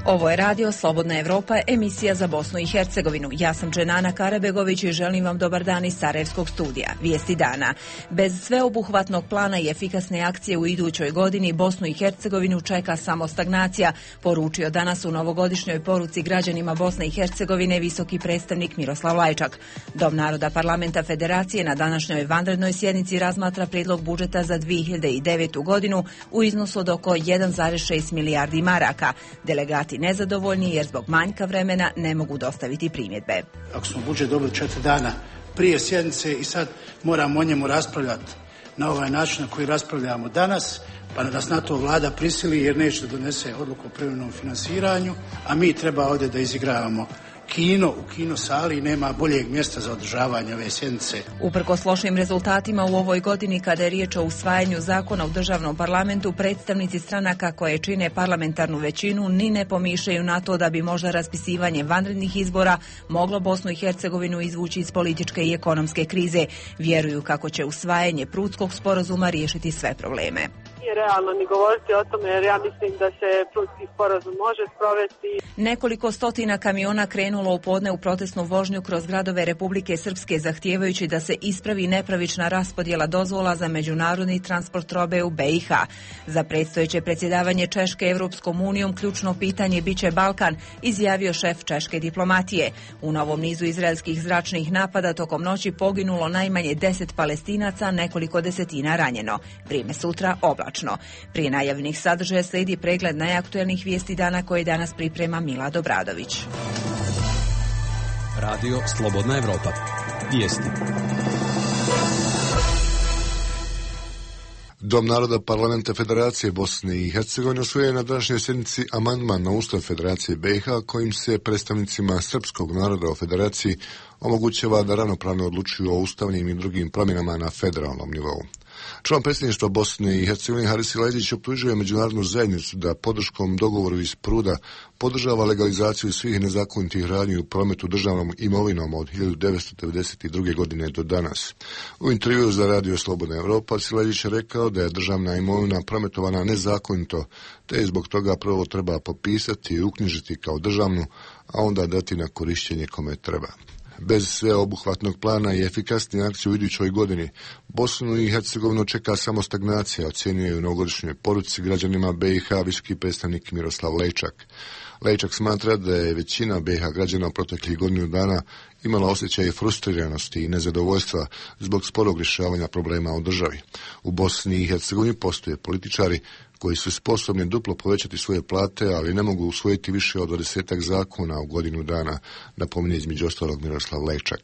Ovo je radio Slobodna Evropa, emisija za Bosnu i Hercegovinu. Ja sam Dženana Karabegović i želim vam dobar dan iz Sarajevskog studija. Vijesti dana. Bez sveobuhvatnog plana i efikasne akcije u idućoj godini Bosnu i Hercegovinu čeka samo stagnacija, poručio danas u novogodišnjoj poruci građanima Bosne i Hercegovine visoki predstavnik Miroslav Lajčak. Dom naroda Parlamenta Federacije na današnjoj vanrednoj sjednici razmatra prijedlog budžeta za 2009. godinu u iznosu od oko 1,6 milijardi maraka. Delegati nezadovoljni jer zbog manjka vremena ne mogu dostaviti primjedbe. Ako smo budžet dobili 4 dana prije sjednice i sad moramo o njemu raspravljati na ovaj način na koji raspravljamo danas, pa da nas na to vlada prisili jer neće da donese odluku o privremenom finansiranju, a mi treba ovdje da izigravamo kino u kino sali i nema boljeg mjesta za održavanje ove sjednice. Uprkos lošim rezultatima u ovoj godini kada je riječ o usvajanju zakona u državnom parlamentu, predstavnici stranaka koje čine parlamentarnu većinu ni ne pomišljaju na to da bi možda raspisivanje vanrednih izbora moglo Bosnu i Hercegovinu izvući iz političke i ekonomske krize. Vjeruju kako će usvajanje Prudskog sporazuma riješiti sve probleme. Nije realno ni govoriti o tome jer ja mislim da se Prudski sporazum može sprovesti. Nekoliko stotina kamiona krenulo u podne u protestnu vožnju kroz gradove Republike Srpske zahtijevajući da se ispravi nepravična raspodjela dozvola za međunarodni transport robe u BiH. Za predstojeće predsjedavanje Češke Evropskom unijom ključno pitanje biće Balkan, izjavio šef češke diplomatije. U novom nizu izraelskih zračnih napada tokom noći poginulo najmanje 10 Palestinaca, nekoliko desetina ranjeno. Vrijeme sutra oblačno. Prije najavljenih sadržaja slijedi pregled najaktuelnih vijesti dana koje danas priprema Milad Obradović. Radio Slobodna Evropa. Vijesti. Dom naroda Parlamenta Federacije Bosne i Hercegovine usvojio je na današnjoj sjednici amandman na Ustav Federacije BiH kojim se predstavnicima srpskog naroda u Federaciji omogućava da ravnopravno odlučuju o ustavnim i drugim promjenama na federalnom nivou. Član predsjedništva Bosne i Hercegovine Haris Silajdžić optužuje međunarodnu zajednicu da podrškom dogovoru iz Pruda podržava legalizaciju svih nezakonitih radnji u prometu državnom imovinom od 1992. godine do danas. U intervjuu za Radio Slobodna Evropa Silajdžić je rekao da je državna imovina prometovana nezakonito, te je zbog toga prvo treba popisati i uknjižiti kao državnu, a onda dati na korištenje kome treba. Bez sveobuhvatnog plana i efikasne akcije u idućoj godini Bosnu i Hercegovinu čeka samo stagnacija, ocjenjuje u novogodišnjoj poruci građanima BiH visoki predstavnik Miroslav Lajčak. Lajčak smatra da je većina BiH građana u proteklih godinu dana imala osjećaj frustriranosti i nezadovoljstva zbog sporog rješavanja problema u državi. U Bosni i Hercegovini postoje političari koji su sposobni duplo povećati svoje plate, ali ne mogu usvojiti više od 20 zakona u godinu dana, napominje između ostalog Miroslav Lajčak.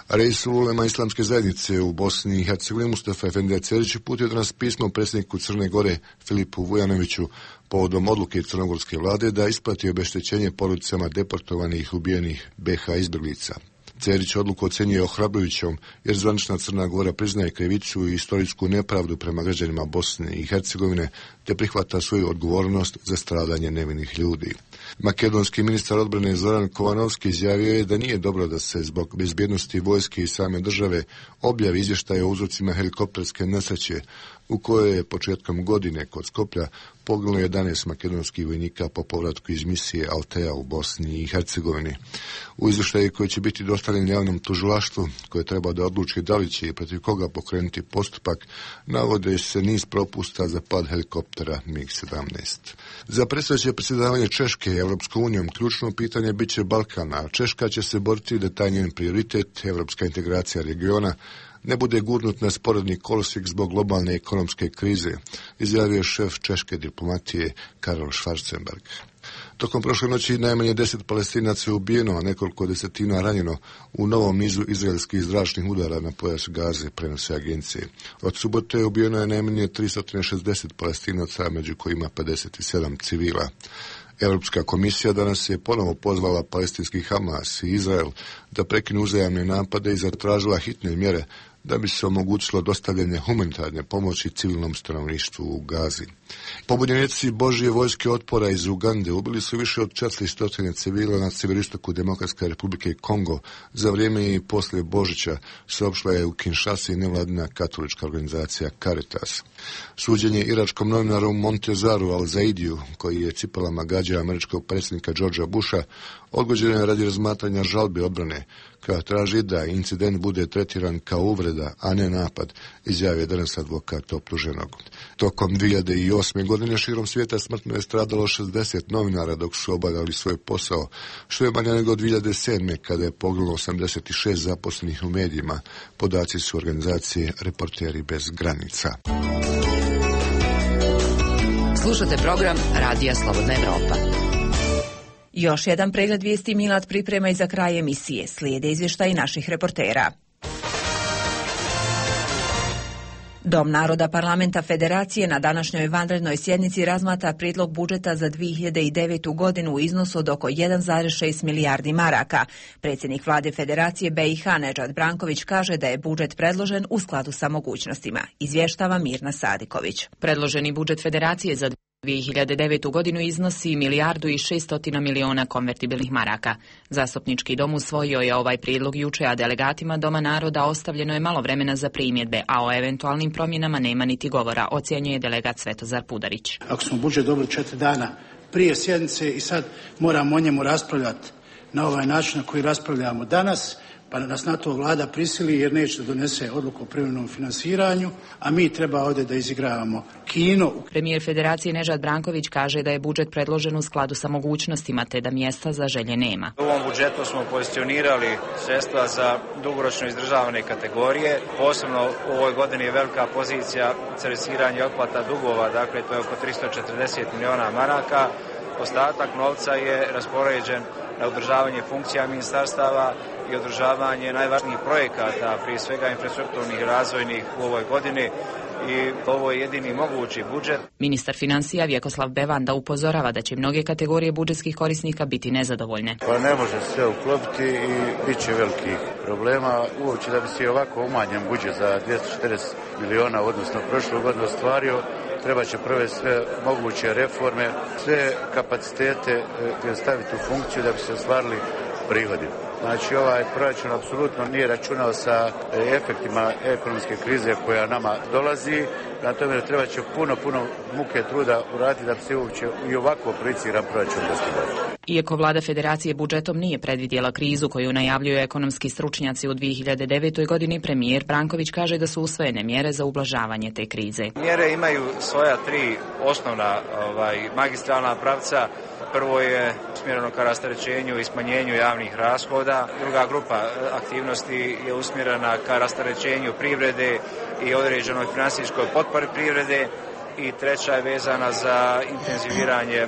Reisul ulema Islamske zajednice u Bosni i Hercegovini Mustafa Efendija Cerić uputio danas pismo predsjedniku Crne Gore Filipu Vujanoviću povodom odluke crnogorske vlade da isplati obeštećenje porodicama deportovanih i ubijenih BiH izbjeglica. Cerić odluku ocjenjuje ohrabrujućom jer zvanična Crna Gora priznaje krivicu i istorijsku nepravdu prema građanima Bosne i Hercegovine te prihvata svoju odgovornost za stradanje nevinih ljudi. Makedonski ministar odbrane Zoran Kovanovski izjavio je da nije dobro da se zbog bezbjednosti vojske i same države objavi izvještaje o uzrocima helikopterske nesreće u kojoj je početkom godine kod Skoplja poginulo 11 makedonskih vojnika po povratku iz misije Altea u Bosni i Hercegovini. U izvještaju koji će biti dostavljen javnom tužilaštvu koje treba da odluči da li će i protiv koga pokrenuti postupak, navode se niz propusta za pad helikoptera MiG-17. Za predstojeće predsjedavanje Češke Evropskom unijom ključno pitanje biće Balkan, a Češka će se boriti da taj njen prioritet, evropska integracija regiona, ne bude gurnut na sporedni kolosijek zbog globalne ekonomske krize, izjavio šef češke diplomatije Karol Schwarzenberg. Tokom prošle noći najmanje 10 Palestinaca je ubijeno, a nekoliko desetina ranjeno u novom nizu izraelskih zračnih udara na pojas Gaze, prenose agencije. Od subote ubijeno je najmanje 360 Palestinaca, među kojima 57 civila. Europska komisija danas je ponovo pozvala palestinski Hamas i Izrael da prekinu uzajamne napade i zatražila hitne mjere da bi se omogućilo dostavljanje humanitarne pomoći civilnom stanovništvu u Gazi. Pobunjenici Božje vojske otpora iz Ugande ubili su više od 400 civila na sjeveroistoku Demokratske republike Kongo za vrijeme i poslije Božića, saopštila je u Kinshasi nevladina katolička organizacija Caritas. Suđenje iračkom novinaru Montezaru Al-Zaidiju, koji je cipelama gađao američkog predsjednika Georgea Busha, odgođeno je radi razmatranja žalbi odbrane, koja traži da incident bude tretiran kao uvreda, a ne napad, izjavio danas advokat optuženog. Tokom 2008. godine širom svijeta smrtno je stradalo 60 novinara dok su obavljali svoj posao, što je manje nego 2007. kada je poginulo 86 zaposlenih u medijima. Podaci su organizacije Reporteri bez granica. Slušate program Radija Slobodna Evropa. Još jedan pregled vijesti Milad priprema i za kraj emisije. Slijede izvještaji naših reportera. Dom naroda Parlamenta Federacije na današnjoj vanrednoj sjednici razmatra prijedlog budžeta za 2009. godinu u iznosu od oko 1,6 milijardi maraka. Predsjednik vlade Federacije BiH Nedžad Branković kaže da je budžet predložen u skladu sa mogućnostima. Izvještava Mirna Sadiković. Predloženi budžet Federacije za 2009. godinu iznosi 1,6 milijardi konvertibilnih maraka. Zastupnički dom usvojio je ovaj prijedlog juče, a delegatima Doma naroda ostavljeno je malo vremena za primjedbe, a o eventualnim promjenama nema niti govora, ocjenjuje delegat Svetozar Pudarić. Ako smo budžet dobili 4 dana prije sjednice i sad moramo o njemu raspravljati na ovaj način na koji raspravljamo danas, pa nas na to vlada prisili jer neće da donese odluku o privremenom finansiranju, a mi treba ovdje da izigravamo kino. Premijer Federacije Nedžad Branković kaže da je budžet predložen u skladu sa mogućnostima te da mjesta za želje nema. U ovom budžetu smo pozicionirali sredstva za dugoročno izdržavane kategorije. Posebno u ovoj godini je velika pozicija servisiranja i otplata dugova, dakle to je oko 340 miliona maraka. Ostatak novca je raspoređen na održavanje funkcija ministarstava i održavanje najvažnijih projekata, prije svega infrastrukturnih i razvojnih u ovoj godini, i ovo je jedini mogući budžet. Ministar financija Vjekoslav Bevanda upozorava da će mnoge kategorije budžetskih korisnika biti nezadovoljne. Pa ne može sve uklopiti i bit će velikih problema. Uopće da bi se ovako umanjen budžet za 240 miliona, odnosno prošlu godinu ostvario, treba će prve sve moguće reforme, sve kapacitete staviti u funkciju da bi se ostvarili prihodi. Znači ovaj proračun apsolutno nije računao sa efektima ekonomske krize koja nama dolazi. Na tome treba će puno muke truda uraditi da bi se uopće i ovako projiciran proračun dostigao. Iako vlada Federacije budžetom nije predvidjela krizu koju najavljuju ekonomski stručnjaci u 2009. godini, premijer Branković kaže da su usvojene mjere za ublažavanje te krize. Mjere imaju svoja 3 osnovna magistralna pravca. Prvo je usmjereno ka rasterećenju i smanjenju javnih rashoda. Druga grupa aktivnosti je usmjerena ka rasterećenju privrede i određenoj financijskoj potpori privrede. I treća je vezana za intenziviranje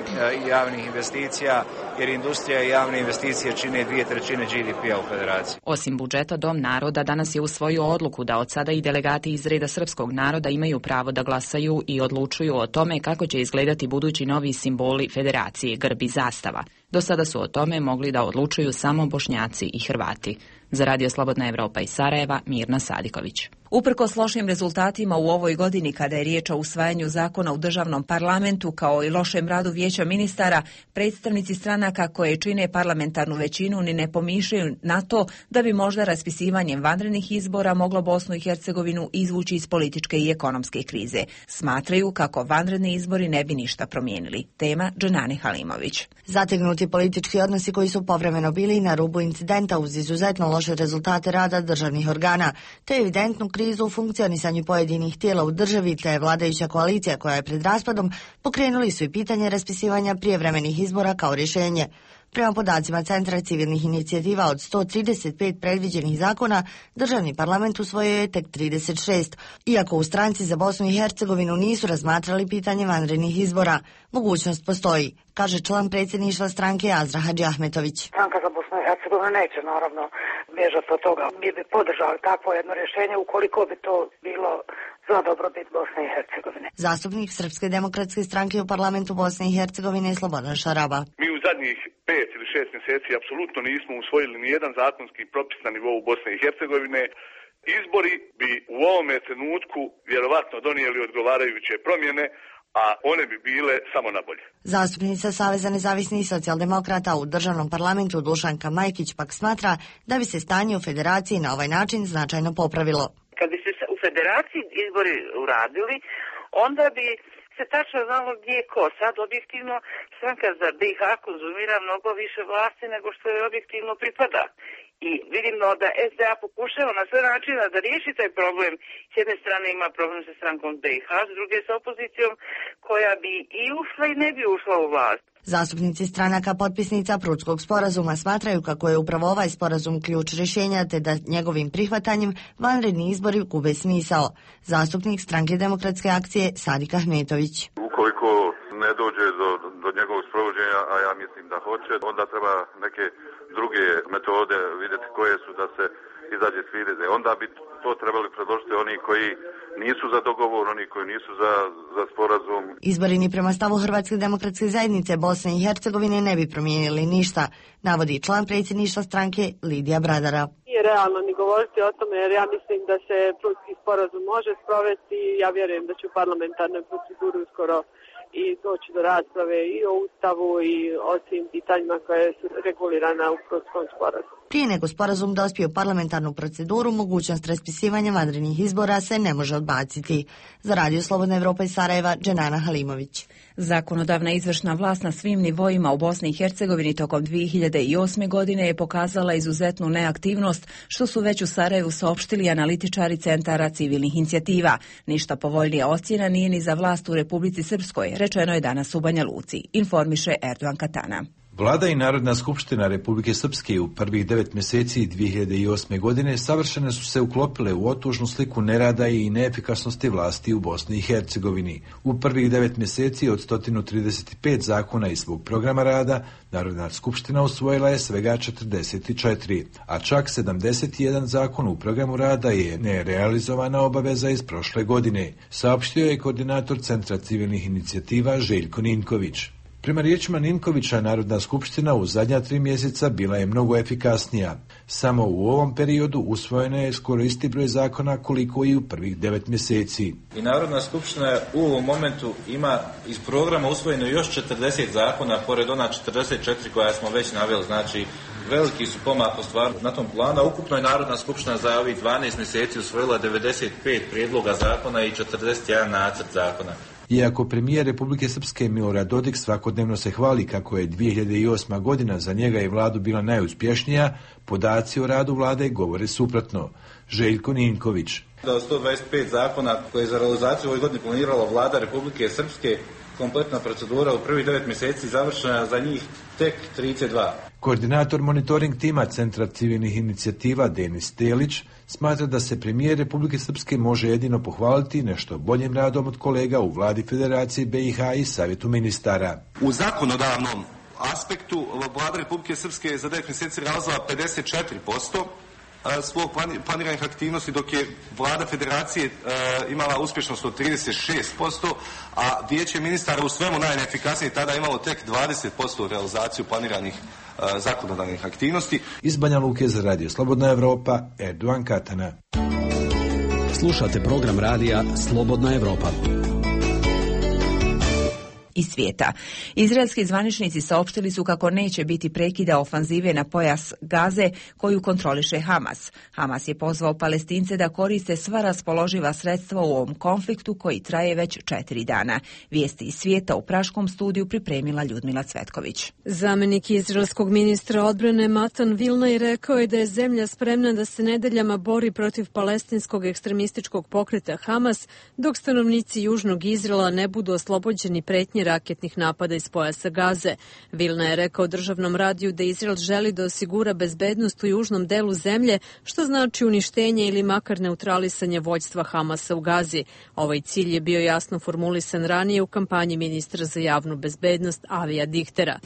javnih investicija, jer industrija i javne investicije čine 2/3 GDP-a u Federaciji. Osim budžeta, Dom naroda danas je usvojio odluku da od sada i delegati iz reda srpskog naroda imaju pravo da glasaju i odlučuju o tome kako će izgledati budući novi simboli Federacije, grb i zastava. Do sada su o tome mogli da odlučuju samo Bošnjaci i Hrvati. Za Radio Slobodna Evropa iz Sarajeva, Mirna Sadiković. Uprkos lošim rezultatima u ovoj godini kada je riječ o usvajanju zakona u državnom parlamentu kao i lošem radu vijeća ministara, predstavnici stranaka koje čine parlamentarnu većinu ni ne pomišljaju na to da bi možda raspisivanjem vanrednih izbora moglo Bosnu i Hercegovinu izvući iz političke i ekonomske krize. Smatraju kako vanredni izbori ne bi ništa promijenili. Tema Dženani Halimović. Zategnuti politički odnosi koji su povremeno bili na rubu incidenta uz izuzetno loše rezultate rada državnih organa, te evidentnu krizu u funkcionisanju pojedinih tijela u državi, te vladajuća koalicija koja je pred raspadom, pokrenuli su i pitanje raspisivanja prijevremenih izbora kao rješenje. Prema podacima Centra civilnih inicijativa od 135 predviđenih zakona, državni parlament usvojio je tek 36, iako u Stranci za Bosnu i Hercegovinu nisu razmatrali pitanje vanrednih izbora. Mogućnost postoji, kaže član predsjedništva stranke Azra Hadžiahmetović. Stranka za Bosnu i Hercegovinu neće naravno bježati od toga. Mi bi podržali takvo jedno rješenje ukoliko bi to bilo za dobrobit Bosne i Hercegovine. Zastupnik Srpske demokratske stranke u parlamentu Bosne i Hercegovine je Slobodan Šaraba. Mi u zadnjih 5 ili 6 mjeseci apsolutno nismo usvojili ni jedan zakonski propis na nivou Bosne i Hercegovine. Izbori bi u ovome trenutku vjerovatno donijeli odgovarajuće promjene, a one bi bile samo na bolje. Zastupnica Saveza nezavisnih socijaldemokrata u državnom parlamentu Dušanka Majkić pak smatra da bi se stanje u federaciji na ovaj način značajno popravilo. Kad bi se u federaciji izbori uradili, onda bi se tačno znalo gdje je ko. Sad objektivno stranka za BiH konzumira mnogo više vlasti nego što je objektivno pripada. I vidimo da SDA pokušava na sve načine da riješi taj problem. S jedne strane ima problem sa strankom BiH, s druge sa opozicijom koja bi i ušla i ne bi ušla u vlast. Zastupnici stranaka potpisnica Prudskog sporazuma smatraju kako je upravo ovaj sporazum ključ rješenja, te da njegovim prihvatanjem vanredni izbori gube smisao. Zastupnik Stranke demokratske akcije Sadik Ahmetović. Ukoliko ne dođe do njegovog sprovođenja, a ja mislim da hoće, onda treba neke druge metode vidjeti koje su da se izađe s krize. Onda bi to trebali predložiti oni koji nisu za dogovor, oni koji nisu za sporazum. Izbori ni prema stavu Hrvatske demokratske zajednice Bosne i Hercegovine ne bi promijenili ništa, navodi član predsjedništva stranke Lidija Bradara. Nije realno ni govoriti o tome jer ja mislim da se Prudski sporazum može sprovesti. Ja vjerujem da će u parlamentarnoj proceduri uskoro i doći do rasprave i o Ustavu i o svim pitanjima koje su regulirane u Prudskom sporazumu. Prije nego sporazum dospije u parlamentarnu proceduru, mogućnost raspisivanja vanrednih izbora se ne može odbaciti. Za Radio Slobodna Evropa iz Sarajeva, Dženana Halimović. Zakonodavna izvršna vlast na svim nivoima u Bosni i Hercegovini tokom 2008. godine je pokazala izuzetnu neaktivnost, što su već u Sarajevu saopštili analitičari centara civilnih inicijativa. Ništa povoljnija ocjena nije ni za vlast u Republici Srpskoj, rečeno je danas u Banja Luci, informiše Erdogan Katana. Vlada i Narodna skupština Republike Srpske u prvih 9 mjeseci 2008. godine savršeno su se uklopile u otužnu sliku nerada i neefikasnosti vlasti u Bosni i Hercegovini. U prvih 9 mjeseci od 135 zakona iz svog programa rada, Narodna skupština usvojila je svega 44, a čak 71 zakon u programu rada je nerealizovana obaveza iz prošle godine, saopštio je koordinator Centra civilnih inicijativa Željko Ninković. Prema riječima Ninkovića, Narodna skupština u zadnja 3 mjeseca bila je mnogo efikasnija. Samo u ovom periodu usvojeno je skoro isti broj zakona koliko i u prvih 9 mjeseci. I Narodna skupština u ovom momentu ima iz programa usvojeno još 40 zakona, pored ona 44 koja smo već naveli, znači veliki su pomak ostvarili na tom planu. Ukupno je Narodna skupština za ovih 12 mjeseci usvojila 95 prijedloga zakona i 41 nacrt zakona. Iako premijer Republike Srpske Milorad Dodik svakodnevno se hvali kako je 2008. godina za njega i vladu bila najuspješnija, podaci o radu vlade govore suprotno. Željko Ninković. Od 125 zakona koje je za realizaciju ovoj godini planirala vlada Republike Srpske, kompletna procedura u prvih 9 mjeseci završena za njih tek 32. Koordinator monitoring tima Centra civilnih inicijativa Denis Telić smatra da se premijer Republike Srpske može jedino pohvaliti nešto boljim radom od kolega u vladi Federacije BiH i Savjetu ministara. U zakonodavnom aspektu vlada Republike Srpske je za 9 mjeseci realizovala 54% svog planiranih aktivnosti, dok je vlada Federacije imala uspješnost od 36%, a vijeće ministara u svemu najneefikasnije tada imalo tek 20% realizaciju planiranih zakonodavnih aktivnosti. Iz Banja Luke za Radio Slobodna Evropa, Erdogan Katana. Slušate program radija Slobodna Evropa. Iz svijeta. Izraelski zvaničnici saopštili su kako neće biti prekida ofanzive na pojas Gaze koju kontroliše Hamas. Hamas je pozvao Palestince da koriste sva raspoloživa sredstva u ovom konfliktu koji traje već 4 dana. Vijesti iz svijeta u praškom studiju pripremila Ljudmila Cvetković. Zamenik izraelskog ministra odbrane Matan Vilnaj rekao je da je zemlja spremna da se nedeljama bori protiv palestinskog ekstremističkog pokreta Hamas, dok stanovnici južnog Izraela ne budu oslobođeni pretnje raketnih napada iz pojasa Gaze. Vilna je rekao državnom radiju da Izrael želi da osigura bezbednost u južnom delu zemlje, što znači uništenje ili makar neutralisanje vođstva Hamasa u Gazi. Ovaj cilj je bio jasno formulisan ranije u kampanji ministra za javnu bezbednost Avija Dichtera.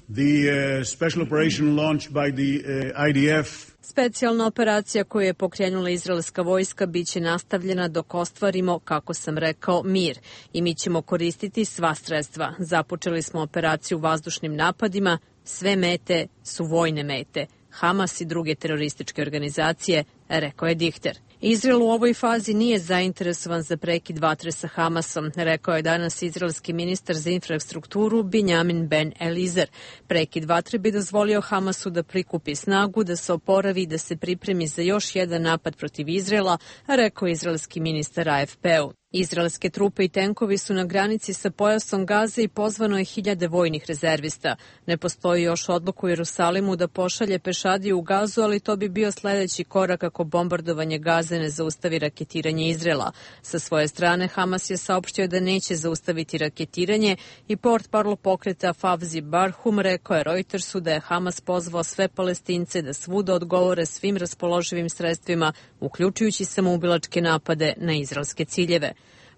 Special operation launched by the IDF. Specijalna operacija koju je pokrenula izraelska vojska biće nastavljena dok ostvarimo, kako sam rekao, mir. I mi ćemo koristiti sva sredstva. Započeli smo operaciju vazdušnim napadima, sve mete su vojne mete. Hamas i druge terorističke organizacije, rekao je Dichter. Izrael u ovoj fazi nije zainteresovan za prekid vatre sa Hamasom, rekao je danas izraelski ministar za infrastrukturu Binjamin Ben Elizer. Prekid vatre bi dozvolio Hamasu da prikupi snagu, da se oporavi i da se pripremi za još jedan napad protiv Izraela, rekao je izraelski ministar AFP-u. Izraelske trupe i tenkovi su na granici sa pojasom Gaze i pozvano je 1000 vojnih rezervista. Ne postoji još odluka u Jerusalimu da pošalje pešadiju u Gazu, ali to bi bio sledeći korak ako bombardovanje Gaze ne zaustavi raketiranje Izraela. Sa svoje strane, Hamas je saopštio da neće zaustaviti raketiranje i portparol pokreta Favzi Barhum rekao je Reutersu da je Hamas pozvao sve Palestince da svuda odgovore svim raspoloživim sredstvima, uključujući samoubilačke napade na izraelske ciljeve.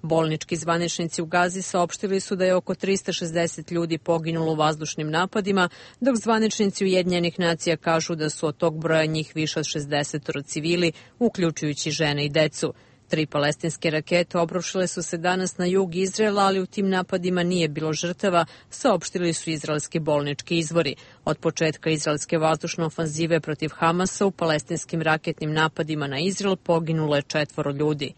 Bolnički zvaničnici u Gazi saopštili su da je oko 360 ljudi poginulo u vazdušnim napadima, dok zvaničnici Ujedinjenih nacija kažu da su od tog broja njih više od 60 civili, uključujući žene i decu. 3 palestinske rakete obrušile su se danas na jug Izraela, ali u tim napadima nije bilo žrtava, saopštili su izraelski bolnički izvori. Od početka izraelske vazdušne ofanzive protiv Hamasa u palestinskim raketnim napadima na Izrael poginulo je 4 ljudi.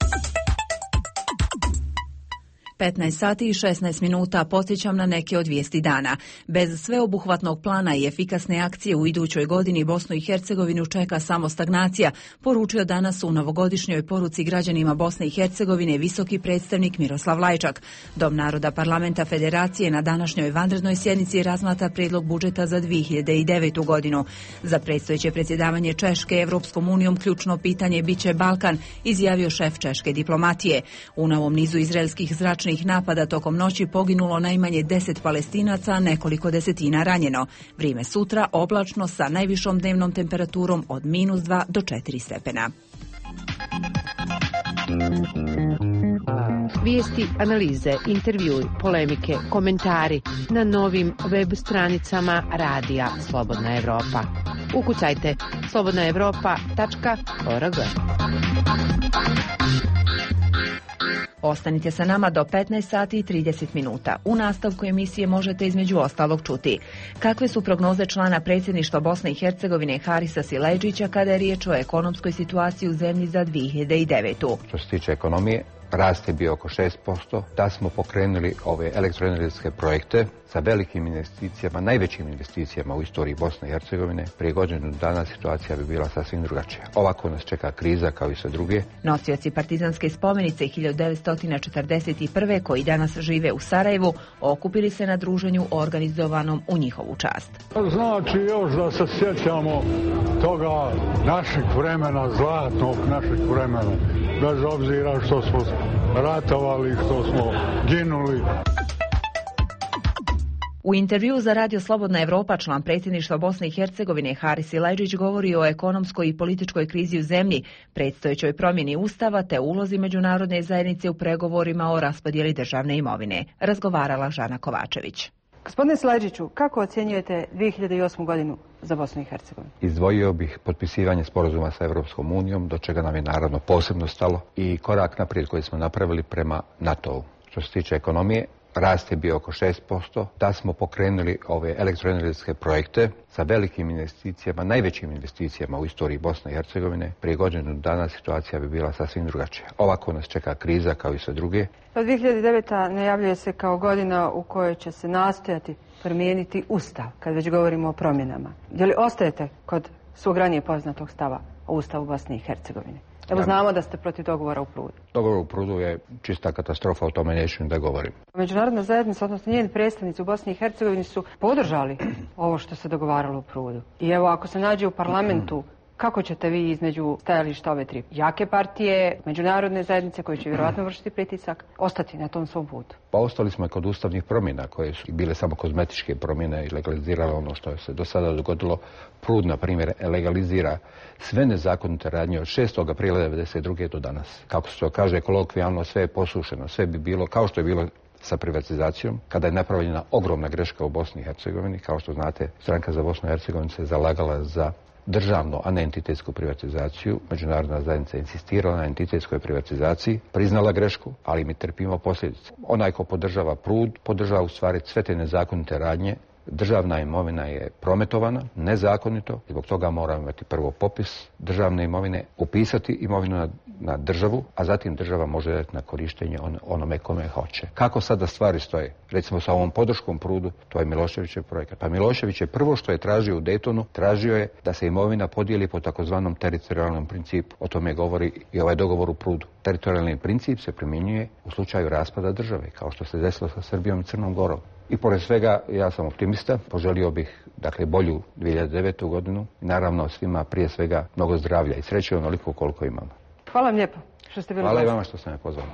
15 sati i 16 minuta, podsjećam na neke od vijesti dana. Bez sveobuhvatnog plana i efikasne akcije u idućoj godini Bosnu i Hercegovinu čeka samo stagnacija, poručio danas u novogodišnjoj poruci građanima Bosne i Hercegovine visoki predstavnik Miroslav Lajčak. Dom naroda Parlamenta Federacije na današnjoj vanrednoj sjednici razmatra prijedlog budžeta za 2009. godinu. Za predstojeće predsjedavanje Češke Evropskom unijom ključno pitanje biće Balkan, izjavio šef češke diplomatije. U novom nizu izraelskih zračnih napada tokom noći poginulo najmanje 10 Palestinaca, a nekoliko desetina ranjeno. Vrijeme sutra oblačno sa najvišom dnevnom temperaturom od -2 do 4 stepena. Vijesti, analize, intervjui, polemike, komentari na novim web stranicama Radija Slobodna Evropa. Ukucajte slobodnaevropa.org. Ostanite sa nama do 15 sati i 30 minuta. U nastavku emisije možete između ostalog čuti kakve su prognoze člana predsjedništva Bosne i Hercegovine Harisa Silajdžića kada je riječ o ekonomskoj situaciji u zemlji za 2009. Što se tiče ekonomije, rast je bio oko 6%, da smo pokrenuli ove elektroenergetske projekte sa velikim investicijama, najvećim investicijama u istoriji Bosne i Hercegovine. Prije godinu dana situacija bi bila sasvim drugačija. Ovako nas čeka kriza kao i sve druge. Nosioci partizanske spomenice 1941. koji danas žive u Sarajevu okupili se na druženju organizovanom u njihovu čast. Znači još da se sjećamo toga našeg vremena, zlatnog našeg vremena, bez obzira što smo ratovali, što smo ginuli. U intervjuu za Radio Slobodna Evropa član predsjedništva Bosne i Hercegovine Haris Silajdžić govori o ekonomskoj i političkoj krizi u zemlji, predstojećoj promjeni ustava te ulozi međunarodne zajednice u pregovorima o raspodjeli državne imovine. Razgovarala Žana Kovačević. Gospodine Silajdžiću, kako ocjenjujete 2008. godinu za Bosnu i Hercegovinu? Izdvojio bih potpisivanje sporazuma sa Evropskom unijom, do čega nam je naravno posebno stalo, i korak naprijed koji smo napravili prema NATO-u. Što se tiče ekonomije, rast je bio oko 6%, da smo pokrenuli ove elektroenergetske projekte sa velikim investicijama, najvećim investicijama u istoriji Bosne i Hercegovine. Prije godinu dana situacija bi bila sasvim drugačija. Ovako nas čeka kriza kao i sve druge. 2009. najavljuje se kao godina u kojoj će se nastojati promijeniti ustav, kad već govorimo o promjenama. Je li ostajete kod svog ranije poznatog stava o ustavu Bosne i Hercegovine? Evo znamo da ste protiv dogovora u Prudu. Dogovor u Prudu je čista katastrofa, o tome neću da govorim. Međunarodna zajednica, odnosno njeni predstavnici u Bosni i Hercegovini su podržali ovo što se dogovaralo u Prudu. I evo, ako se nađe u parlamentu, kako ćete vi između stajališta ove 3 jake partije, međunarodne zajednice koje će vjerojatno vršiti pritisak, ostati na tom svom putu? Pa ostali smo kod ustavnih promjena koje su bile samo kozmetičke promjene i legalizirale ono što se do sada dogodilo. Prud, na primjer, legalizira sve nezakonite radnje od 6. aprila 1992. do danas. Kako se to kaže kolokvijalno, sve je posušeno, sve bi bilo kao što je bilo sa privatizacijom, kada je napravljena ogromna greška u Bosni i Hercegovini. Kao što znate, Stranka za Bosnu i Hercegovinu se zalagala za državnu, a ne entitetsku privatizaciju. Međunarodna zajednica insistirala na entitetskoj privatizaciji, priznala grešku, ali mi trpimo posljedice. Onaj ko podržava Prud, podržava u stvari sve te nezakonite radnje. Državna imovina je prometovana, nezakonito, zbog toga moramo imati prvo popis državne imovine, upisati imovinu na na državu, a zatim država može dati na korištenje onome kome hoće. Kako sada stvari stoje? Recimo sa ovom podrškom prudu, to je Miloševićev projekat. Pa Milošević je prvo što je tražio u Daytonu, tražio je da se imovina podijeli po takozvanom teritorijalnom principu. O tome govori i ovaj dogovor u prudu. Teritorijalni princip se primjenjuje u slučaju raspada države, kao što se desilo sa Srbijom i Crnom Gorom. I pored svega, ja sam optimista, poželio bih bolju 2009. godinu i naravno svima prije svega mnogo zdravlja i sreće onoliko koliko imamo. Hvala vam lijepo što ste bili. Hvala i vama što ste me pozvali.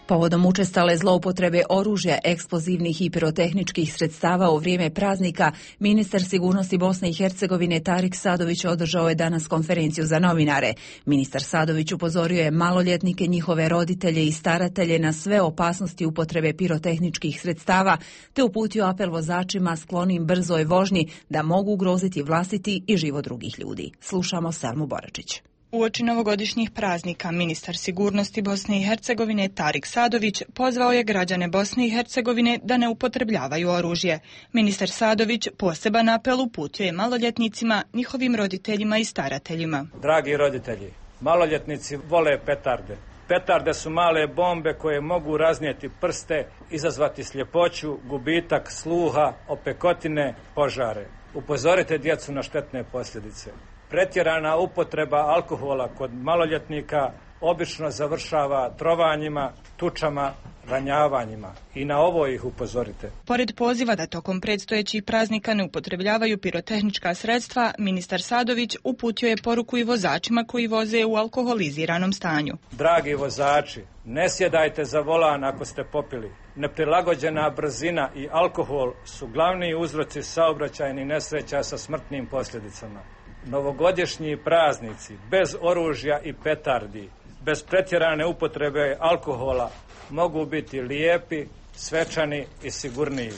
Povodom učestale zloupotrebe oružja, eksplozivnih i pirotehničkih sredstava u vrijeme praznika, ministar sigurnosti Bosne i Hercegovine Tarik Sadović održao je danas konferenciju za novinare. Ministar Sadović upozorio je maloljetnike, njihove roditelje i staratelje na sve opasnosti upotrebe pirotehničkih sredstava, te uputio apel vozačima sklonim brzoj vožnji da mogu ugroziti vlastiti i život drugih ljudi. Slušamo Selmu Boračić. Uoči novogodišnjih praznika, ministar sigurnosti Bosne i Hercegovine Tarik Sadović pozvao je građane Bosne i Hercegovine da ne upotrebljavaju oružje. Ministar Sadović poseban apel uputio je maloljetnicima, njihovim roditeljima i starateljima. Dragi roditelji, maloljetnici vole petarde. Petarde su male bombe koje mogu raznijeti prste, izazvati sljepoću, gubitak sluha, opekotine, požare. Upozorite djecu na štetne posljedice. Pretjerana upotreba alkohola kod maloljetnika obično završava trovanjima, tučama, ranjavanjima. I na ovo ih upozorite. Pored poziva da tokom predstojećih praznika ne upotrebljavaju pirotehnička sredstva, ministar Sadović uputio je poruku i vozačima koji voze u alkoholiziranom stanju. Dragi vozači, ne sjedajte za volan ako ste popili. Neprilagođena brzina i alkohol su glavni uzroci saobraćajnih nesreća sa smrtnim posljedicama. Novogodišnji praznici bez oružja i petardi, bez pretjerane upotrebe alkohola mogu biti lijepi, svečani i sigurniji.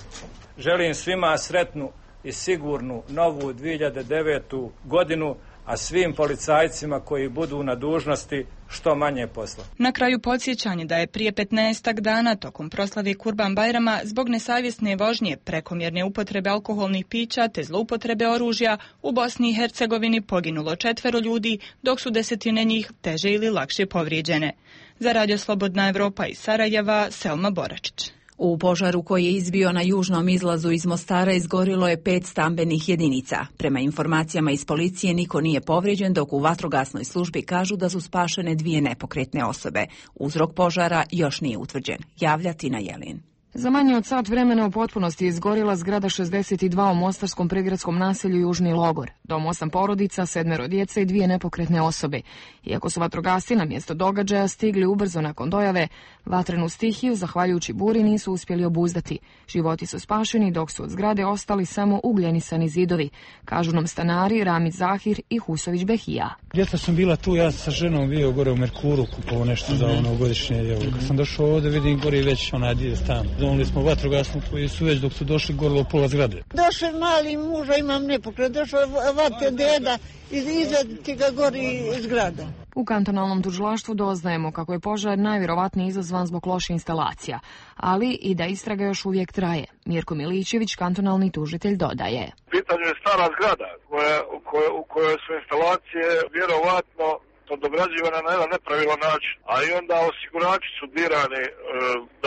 Želim svima sretnu i sigurnu novu 2009. godinu, a svim policajcima koji budu na dužnosti što manje posla. Na kraju podsjećanje da je prije 15 dana tokom proslave Kurban Bajrama zbog nesavjesne vožnje, prekomjerne upotrebe alkoholnih pića te zloupotrebe oružja u Bosni i Hercegovini poginulo 4 ljudi, dok su 10 njih teže ili lakše povrijeđene. Za Radio Slobodna Evropa iz Sarajeva, Selma Boračić. U požaru koji je izbio na južnom izlazu iz Mostara izgorilo je 5 stambenih jedinica. Prema informacijama iz policije niko nije povrijeđen, dok u vatrogasnoj službi kažu da su spašene 2 nepokretne osobe. Uzrok požara još nije utvrđen. Javlja Tina Jelin. Za manje od sat vremena u potpunosti je izgorila zgrada 62 u mostarskom prigradskom naselju Južni Logor. Dom 8 porodica, 7 djece i 2 nepokretne osobe. Iako su vatrogasci na mjesto događaja stigli ubrzo nakon dojave, vatrenu stihiju, zahvaljujući buri, nisu uspjeli obuzdati. Životi su spašeni, dok su od zgrade ostali samo ugljenisani zidovi, kažu nam stanari Ramid Zahir i Husović Behija. Djeca sam bila tu, ja sa ženom bio gore u Merkuru, kupovao nešto za ono godišnje. Kad sam došao ovdje, vidim gori već onaj dio stan. Donili smo vatrogasnu koji su već dok su došli gorilo pola zgrade. Došao mali muža, imam nepokret, došao vate deda i izvediti ga gori zgrada. U kantonalnom tužilaštvu doznajemo kako je požar najvjerovatnije izazvan zbog loše instalacija, ali i da istraga još uvijek traje. Mirko Milićević, kantonalni tužitelj, dodaje. Pitanje je stara zgrada u kojoj su instalacije vjerovatno dograđivane na jedan nepravilan način, a i onda osigurači su dirani,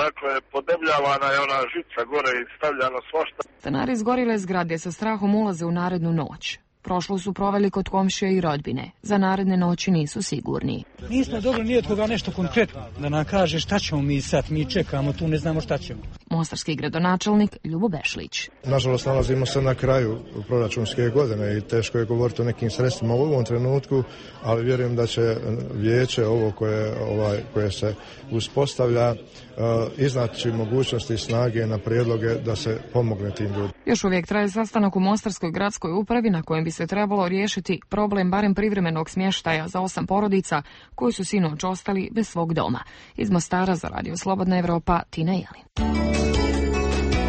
dakle podebljavana je ona žica gore i stavljano svašta. Stanari izgorile zgrade sa strahom ulaze u narednu noć. Prošlo su proveli kod komšija i rodbine. Za naredne noći nisu sigurni. Nismo dobili ni od koga nešto konkretno da nam kaže šta ćemo mi sad, mi čekamo tu, ne znamo šta ćemo. Mostarski gradonačelnik Ljubo Bešlić. Nažalost, nalazimo se na kraju proračunske godine i teško je govoriti o nekim sredstvima u ovom trenutku, ali vjerujem da će vijeće ovo koje se uspostavlja iznaći mogućnosti i snage na prijedloge da se pomogne tim ljudima. Još uvijek traje sastanak u Mostarskoj gradskoj upravi na kojem bi se trebalo riješiti problem barem privremenog smještaja za 8 porodica koji su sinoć ostali bez svog doma. Iz Mostara za Radio Slobodna Evropa, Tina Jelin.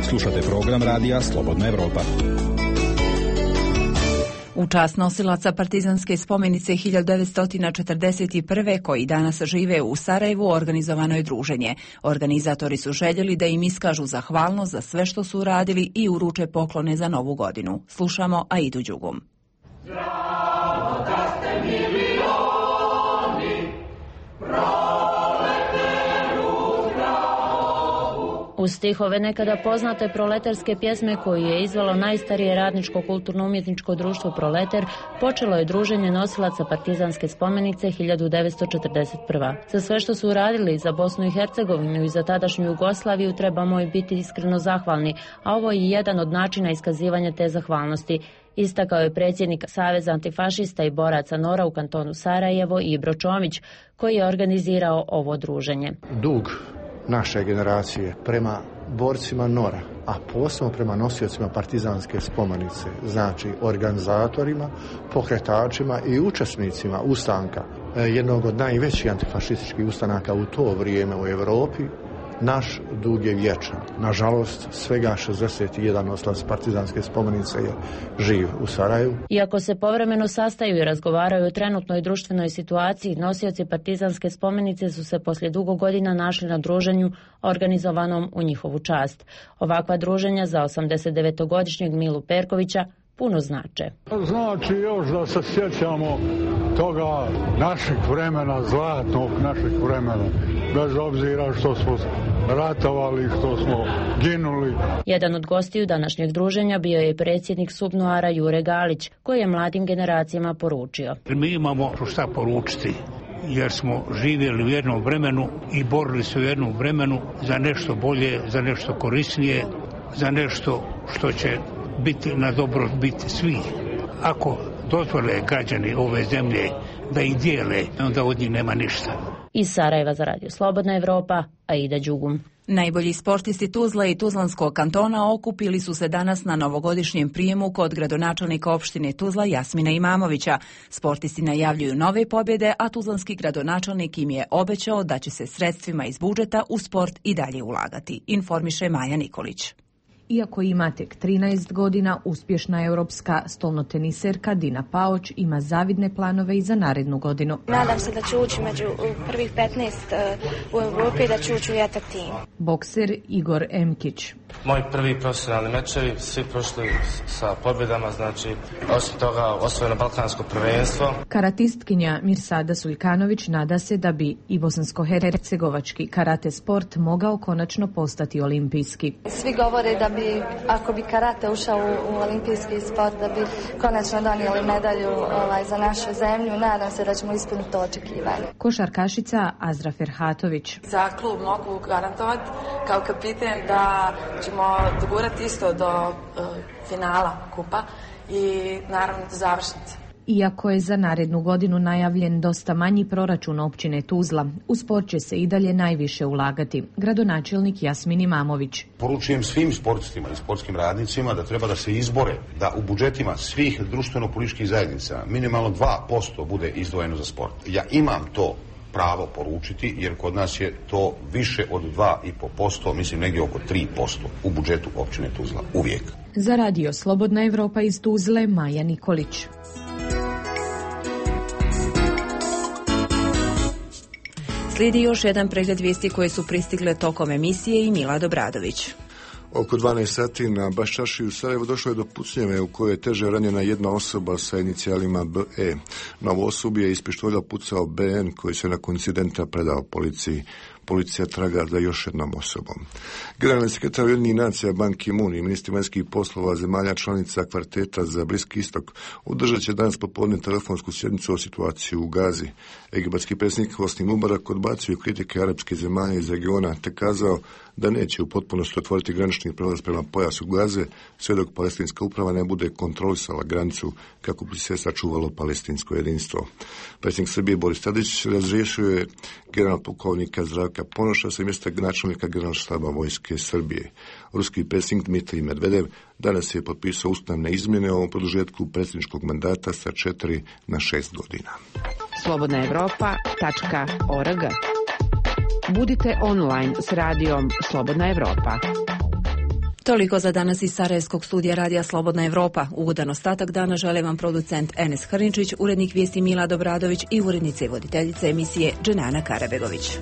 Slušate program Radija Slobodna Evropa. U čast nosilaca partizanske spomenice 1941. koji danas žive u Sarajevu organizovano je druženje. Organizatori su željeli da im iskažu zahvalnost za sve što su uradili i uruče poklone za novu godinu. Slušamo Aidu Đugum. Zdravo da ste milioni, Uz stihove nekada poznate proletarske pjesme koju je izvelo najstarije radničko kulturno-umjetničko društvo Proleter, počelo je druženje nosilaca partizanske spomenice 1941. Za sve što su uradili za Bosnu i Hercegovinu i za tadašnju Jugoslaviju trebamo i biti iskreno zahvalni, a ovo je jedan od načina iskazivanja te zahvalnosti. Istakao je predsjednik Saveza antifašista i boraca NOR-a u kantonu Sarajevo Ibro Čomić, koji je organizirao ovo druženje. Dug naše generacije prema borcima NOR-a, a posebno prema nosiocima partizanske spomenice, znači organizatorima, pokretačima i učesnicima ustanka, jednog od najvećih antifašističkih ustanaka u to vrijeme u Europi, naš dug je vječan. Nažalost, svega 61 nosilac partizanske spomenice je živ u Sarajevu. Iako se povremeno sastaju i razgovaraju o trenutnoj društvenoj situaciji, nosioci partizanske spomenice su se poslije dugo godina našli na druženju organizovanom u njihovu čast. Ovakva druženja za 89-godišnjeg Milu Perkovića puno znače. Znači još da se sjećamo toga našeg vremena, zlatnog našeg vremena, bez obzira što smo ratovali, što smo ginuli. Jedan od gostiju današnjeg druženja bio je predsjednik SUBNOR-a Jure Galić, koji je mladim generacijama poručio. Mi imamo šta poručiti, jer smo živjeli u jednom vremenu i borili se u jednom vremenu za nešto bolje, za nešto korisnije, za nešto što će biti na dobrobit svih. Ako dozvole građani ove zemlje da ih dijele, onda od njih nema ništa. Iz Sarajeva za Radio Slobodna Evropa, Aida Đugum. Najbolji sportisti Tuzle i Tuzlanskog kantona okupili su se danas na novogodišnjem prijemu kod gradonačelnika opštine Tuzla Jasmina Imamovića. Sportisti najavljuju nove pobjede, a tuzlanski gradonačelnik im je obećao da će se sredstvima iz budžeta u sport i dalje ulagati, informiše Maja Nikolić. Iako ima tek 13 godina, uspješna europska stolnoteniserka Dina Paoć ima zavidne planove i za narednu godinu. Nadam se da ću ući među prvih 15 u Europi i da ću ući u jatak tim. Bokser Igor Emkić. Moji prvi profesionalni mečevi, svi prošli sa pobjedama, znači osim toga osvojeno balkansko prvenstvo. Karatistkinja Mirsada Suljkanović nada se da bi i bosansko-hercegovački karate sport mogao konačno postati olimpijski. Svi govore da bi, ako bi karate ušao u olimpijski sport, da bi konačno donijeli medalju za našu zemlju. Nadam se da ćemo ispuniti to očekivanje. Košarkašica Azra Ferhatović. Za klub mogu garantovati kao kapiten da ćemo dogurati isto do finala kupa i naravno do završnice. Iako je za narednu godinu najavljen dosta manji proračun općine Tuzla, u sport će se i dalje najviše ulagati. Gradonačelnik Jasmin Imamović. Poručujem svim sportistima i sportskim radnicima da treba da se izbore da u budžetima svih društveno-političkih zajednica minimalno 2% bude izdvojeno za sport. Ja imam to pravo poručiti, jer kod nas je to više od 2,5%, mislim negdje oko 3% u budžetu općine Tuzla, uvijek. Za Radio Slobodna Evropa iz Tuzle, Maja Nikolić. Slijedi još jedan pregled vijesti koje su pristigle tokom emisije i Mila Dobradović. Oko 12 sati na Baščaši u Sarajevu došlo je do pucnjave u kojoj je teže ranjena jedna osoba sa inicijalima BE. Na ovu osobu je iz pištolja pucao BN koji se nakon incidenta predao policiji. Policija traga za još jednom osobom. Generalni sekretar Ujedinjenih nacija Ban Ki-moon i ministri vanjskih poslova zemalja članica kvarteta za Bliski istok održat će danas popodne telefonsku sjednicu o situaciji u Gazi. Egipatski predsjednik Hosni Mubarak odbacio kritike arapske zemalja iz regiona te kazao da neće u potpunosti otvoriti granični prelaz prema pojasu Gaze sve dok palestinska uprava ne bude kontrolisala granicu kako bi se sačuvalo palestinsko jedinstvo. Predsjednik Srbije Boris Tadić razriješio je generalnog pukovnika Zdravka Ponoša sa mjesta načelnika generalnog štaba vojske Srbije. Ruski predsjednik Dmitrij Medvedev danas je potpisao ustavne izmjene o produžetku predsjedničkog mandata sa 4 na 6 godina. slobodnaevropa.org. Budite online s radijom Slobodna Evropa. Toliko za danas iz Sarajevskog studija Radija Slobodna Evropa. Ugodan ostatak dana žele vam producent Enes Hrničić, urednik vijesti Mila Dobradović i urednica i voditeljica emisije Dženana Karabegović.